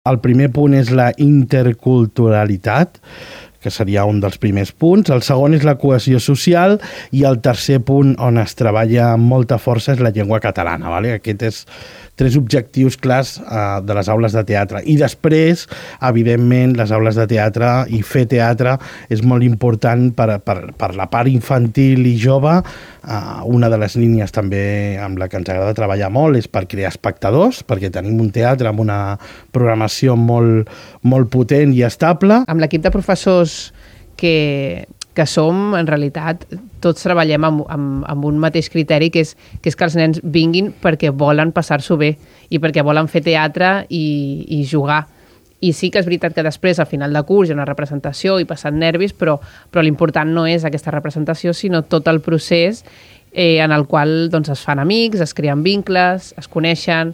El primer punt és la interculturalitat, que seria un dels primers punts. El segon és la cohesió social i el tercer punt on es treballa amb molta força és la llengua catalana. Vale? Aquest és 3 objectius clars de les aules de teatre. I després, evidentment, les aules de teatre i fer teatre és molt important per la part infantil i jove. Una de les línies també amb la que ens agrada treballar molt és per crear espectadors, perquè tenim un teatre amb una programació molt, molt potent i estable. Amb l'equip de professors que som, en realitat, tots treballem amb un mateix criteri, que és que els nens vinguin perquè volen passar-s'ho bé i perquè volen fer teatre i jugar. I sí que és veritat que després, al final de curs, hi ha una representació i passen nervis, però l'important no és aquesta representació, sinó tot el procés en el qual doncs, es fan amics, es creen vincles, es coneixen,